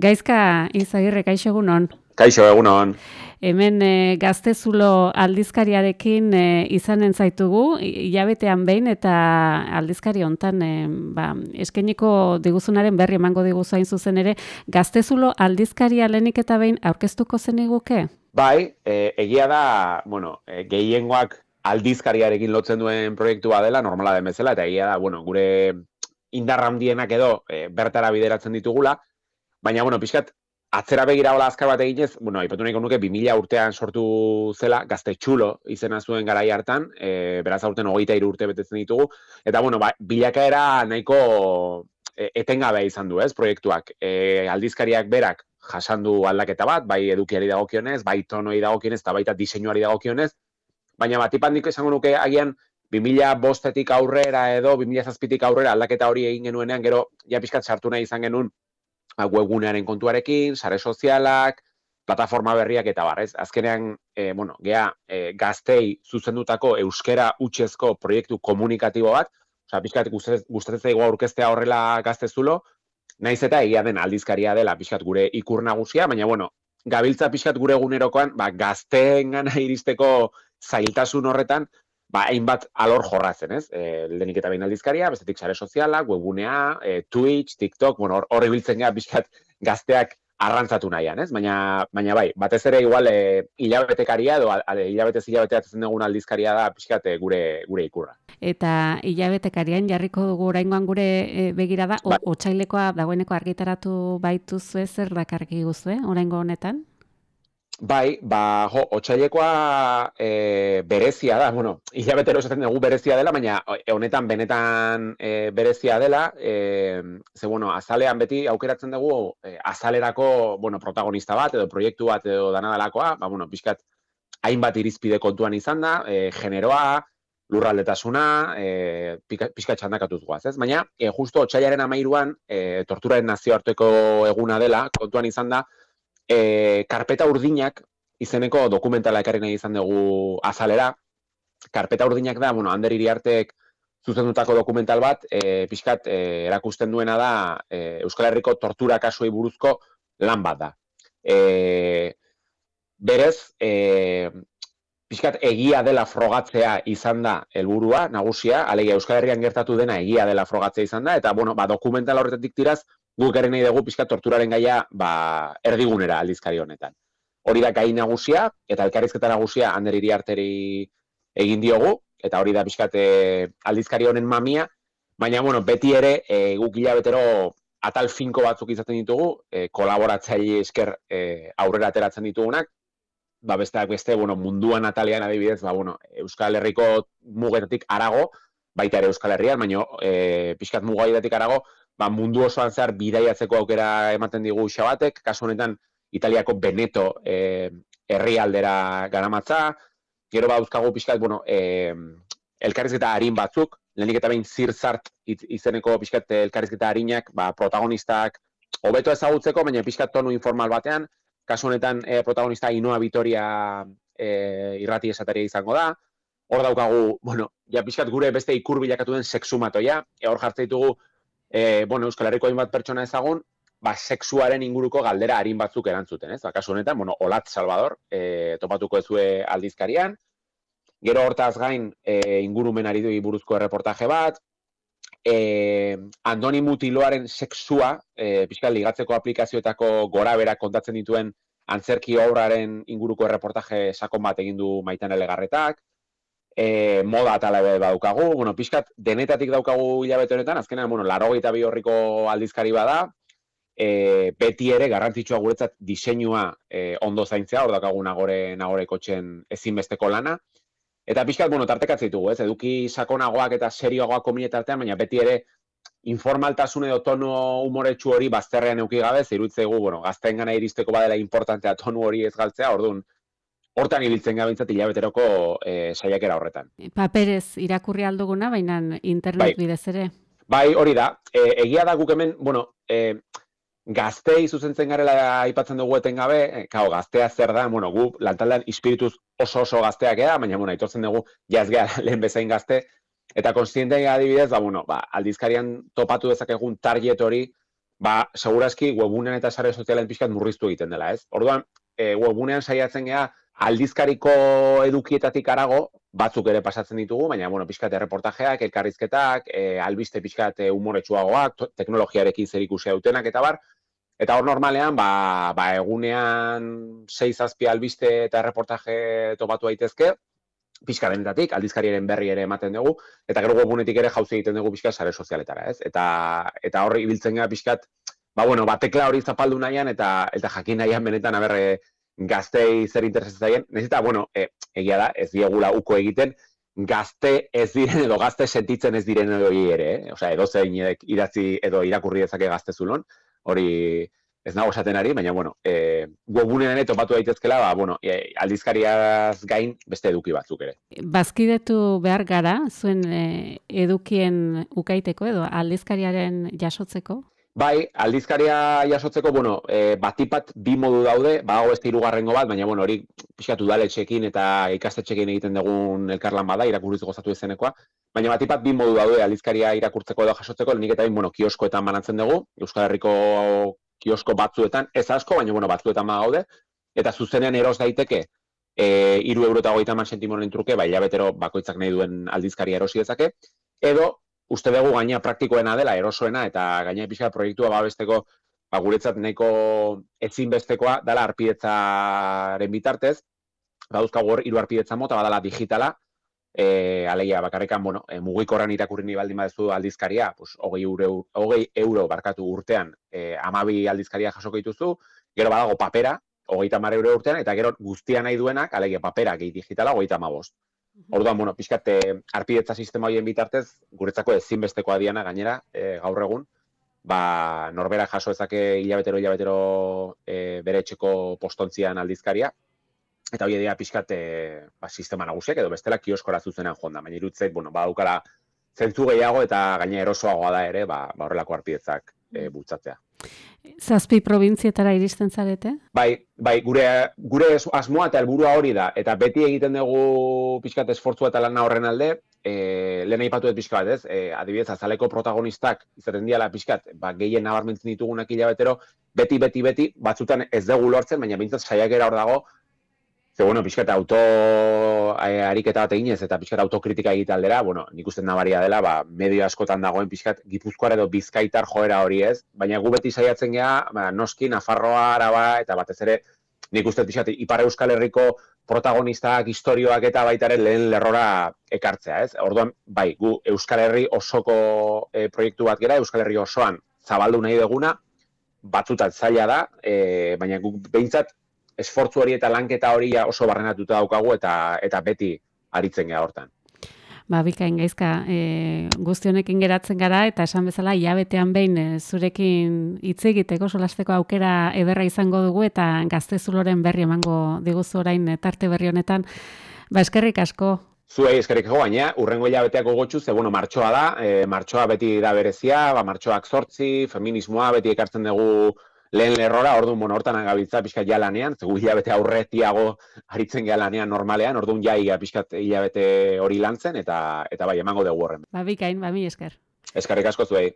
Gaizka Izagirre, kaixo egunon. Kaixo, egunon. Hemen Gaztezulo aldizkariarekin izanen zaitugu, hilabetean behin eta aldizkari hontan eskainiko diguzunaren berri emango diguzu hain zuzen ere, Gaztezulo aldizkaria lehenik eta behin aurkeztuko zeniguke? Bai, egia da, gehiengoak aldizkariarekin lotzen duen proiektua dela, normala den bezala, eta egia da, gure indarra handienak edo bertara bideratzen ditugula, baina, pixkat, atzera begira hola azkar bat eginez, aipatu nahiko nuke 2000 urtean sortu zela, Gaztetxulo izena zuen garai hartan, beraz aurten 23 urte betetzen ditugu, eta, bilakaera nahiko etengabea izan du, ez, proiektuak. Aldizkariak berak jasandu aldaketa bat, bai edukiari dagokionez, bai tonoi dagokionez, eta baita diseinuari dagokionez, baina batipandik esango nuke agian 2005-etik aurrera edo 2007-tik aurrera aldaketa hori egin genuenean, gero ja pixkat sartu nahi izan genuen webgunearen kontuarekin, sare sozialak, plataforma berriak eta bar, ez? Azkenean, gaztei zuzendutako euskera hutsezko proiektu komunikatibo bat, pixkat gustatzen zaigu aurkeztea horrela Gaztezulo, naiz eta egia den aldizkaria dela pixkat gure ikur nagusia, baina gabiltza pixkat gure egunerokoan, gazteengana iristeko zailtasun horretan, hainbat alor jorratzen, ez? Lehenik eta behin aldizkaria, bestetik sare sozialak, webgunea, Twitch, TikTok, hor ibiltzen gara pixkat gazteak arrantzatu nahian, ez? Baina bai, batez ere igual hilabetekaria edo hilabeteatzen dugun aldizkaria da pixkat gure ikurra. Eta hilabetekarian jarriko dugu oraingoan gure begirada, otsailekoa dagoeneko argitaratu baituzue, zer dakarki guzue oraingo honetan? Bai, otsailekoa berezia da, hilabetero esaten dugu berezia dela, baina honetan benetan berezia dela, azalean beti aukeratzen dugu azalerako, protagonista bat edo proiektu bat edo danadalakoa, pixkat hainbat irizpide kontuan izan da, generoa, lurraldetasuna, pixkat txandakatuz guaz, ez? Baina, justo otsailaren 13an, torturaren nazioarteko eguna dela, kontuan izan da, Karpeta urdinak izeneko dokumentala ekarri nahi izan dugu azalera. Karpeta urdinak da, Ander Iriartek zuzendutako dokumental bat, pixkat erakusten duena da Euskal Herriko tortura kasuei buruzko lan bat da. Berez, pixkat egia dela frogatzea izan da helburua nagusia, alegia Euskal Herrian gertatu dena egia dela frogatzea izan da, eta dokumentala horretatik tiraz, guk ere nahi dugu pixkat torturaren gaia erdigunera aldizkari honetan. Hori da gai nagusia, eta elkarrizketa nagusia Ander Iriarteri egin diogu, eta hori da pixkat aldizkari honen mamia, baina beti ere guk hilabetero atal finko batzuk izaten ditugu, kolaboratzaile esker aurrera ateratzen ditugunak, besteak beste, munduan atalean adibidez, Euskal Herriko mugetatik arago, baita ere Euskal Herrian, baina pixkat mugaidatik arago, mundu osoan zehar bidaiatzeko aukera ematen digu Xabatek, kasu honetan Italiako Veneto herrialdera garamatza, gero dauzkagu pixkat, elkarrizketa arin batzuk, lehenik eta behin zirzart izeneko pixkat elkarrizketa arinak, protagonistak hobeto ezagutzeko, baina pixkat tonu informal batean, kasu honetan protagonista Ainhoa Vitoria irrati esataria izango da, hor daukagu, pixkat gure beste ikur bilakatu den sexumatoia, hor jartzen ditugu Euskal Herriko hainbat pertsona ezagun, sexuaren inguruko galdera arin batzuk erantzuten, ez? Kasu honetan, Olat Salvador topatuko ezue aldizkarian, gero hortaz gain ingurumenari buruzko erreportaje bat, Andoni Mutiloaren sexua, pixkat ligatzeko aplikazioetako gora berak kontatzen dituen antzerki obraren inguruko erreportaje sakon bat egin du Maitan Elegarretak, moda atala daukagu, pixkat denetatik daukagu hilabete honetan, azkenean, 82 horriko aldizkari bada, beti ere garrantzitsua guretzat diseinua ondo zaintzea, hor daukagu nagore kotxen ezinbesteko lana, eta pixkat, tartekatzen ditugu, ez, eduki sakonagoak eta serioagoak kominetartean, baina beti ere informaltasun edo tono umoretsu hori bazterrean euki gabe, iruditzaigu, gazteen gana iristeko badela importantea tonu hori ez galtzea, orduan, hortan ibiltzen gabintzat hilabeteroko saiakera horretan. Paperez irakurri alduguna, baina internet bidez ere. Bai, hori da. Egia da guk hemen, gaztei zuzentzen garela aipatzen dugu etengabe, gaztea zer da, gu lantaldean ispirituz oso gazteak eda, baina aitortzen dugu jaz geha lehen bezain gazte, eta konstientea adibidez, aldizkarian topatu dezakegun target hori, segurazki webunean eta sare sozialen pixkat murriztu egiten dela, ez? Orduan, webunean saiatzen gea aldizkariko edukietatik arago, batzuk ere pasatzen ditugu, baina, bueno, pixkat erreportajeak, elkarrizketak, albiste pixkat umoretsuagoak, teknologiarekin zerikusia dutenak, eta bar, eta hor normalean, egunean 6-7 albiste eta erreportaje topatu daitezke, pixka denetatik, aldizkariaren berri ere ematen dugu, eta gero webunetik ere jauzi egiten dugu pixka sare sozialetara, ez? Eta horri ibiltzen gara pixkat, tekla hori zapaldu nahian, eta jakin nahian benetan, gaztei zer interesatzen zaien, nahiz eta, egia da, ez diegula uko egiten, gazte ez diren edo gazte sentitzen ez diren edo ere, osea, edo zein idatzi edo irakurri dezake gaztezulon, hori ez nago esaten ari, baina, webunean ere topatu daitezkela, aldizkariaz gain beste eduki batzuk ere. Bazkidetu behar gara, zuen edukien ukaiteko edo aldizkariaren jasotzeko? Bai, aldizkaria jasotzeko, batipat bi modu daude, badago beste hirugarrengo bat, baina, hori pixkatu udaletxeekin eta ikastetxeekin egiten dugun elkarlan bada, irakurriz gozatu izenekoa, baina batipat bi modu daude aldizkaria irakurtzeko edo jasotzeko, lehenik eta kioskoetan banatzen dugu, Euskal Herriko kiosko batzuetan, ez asko, baina batzuetan gaude, eta zuzenean eros daiteke, 3,30 € truke, hilabetero bakoitzak nahi duen aldizkaria erosi dezake, edo uste dugu gaina praktikoena dela, erosoena, eta gaina pixka proiektua babesteko, guretzat nahiko ezinbestekoa, dela arpidetzaren bitartez, baduzkagu hor 3 arpidetza mota, badala digitala, alegia bakarrekan, mugikorran irakurri ni baldin badezu aldizkaria, 20 € barkatu urtean, 12 aldizkaria jasoko dituzu, gero badago papera, 30 € urtean, eta gero guztia nahi duenak, alegia papera gehi digitala, 35. Orduan, pixkat, arpidetza sistema horien bitartez, guretzako ezinbestekoa diana gainera, gaur egun, norbera jaso ezake hilabetero bere etxeko postontzian aldizkaria, eta hori dira pixkat sistema nagusiak, edo bestela kioskora zuzenean jonda, baina irutzeit, badaukala zentzu gehiago eta gaina erosoagoa da ere, horrelako arpidetzak bultzatzea. 7 probintzietara iristen zarete? Bai, gure asmoa eta helburua hori da, eta beti egiten dugu pixkat esfortzua eta lana horren alde, lehen aipatu dut pixka bat, ez? Adibidez, azaleko protagonistak izaten diala pixkat, gehien nabarmentzen ditugunak hilabetero, beti, batzutan ez dugu lortzen, baina bintzat saiakera hor dago, ze, pixkat ariketa bat eginez eta pixkat autokritika egitaldera, nik uste nabaria dela, medio askotan dagoen pixkat Gipuzkoar edo Bizkaitar joera hori ez, baina gu beti saiatzen gea, noski, Nafarroa, Araba, eta batez ere, nik uste pixkat Ipar Euskal Herriko protagonistak, historioak eta baitaren lehen lerrora ekartzea, ez? Orduan, gu Euskal Herri osoko proiektu bat gera, Euskal Herri osoan zabaldu nahi duguna, batzutan zaila da, baina guk behintzat esfortzu hori eta lanketa hori oso barrenatuta daukagu eta beti aritzen gea hortan. Bikain gaizka, guzti honekin geratzen gara eta esan bezala hilabetean behin zurekin hitz egiteko solasteko aukera ederra izango dugu eta Gaztezuloren berri emango diguzu orain tarte berri honetan. Eskerrik asko. Zuei eskerrik asko, baina urrengo hilabeteak gogotsu, ze martxoa da, martxoa beti da berezia, martxoak 8, feminismoa beti ekartzen dugu lehen lerrora, orduan, hortan agabiltza pixkat ja lanean, zegu hilabete aurretiago aritzen gea lanean normalean, orduan ja pixkat hilabete hori lantzen, eta bai, emango dugu horren. Bikain, mi esker. Eskerrik asko zuei.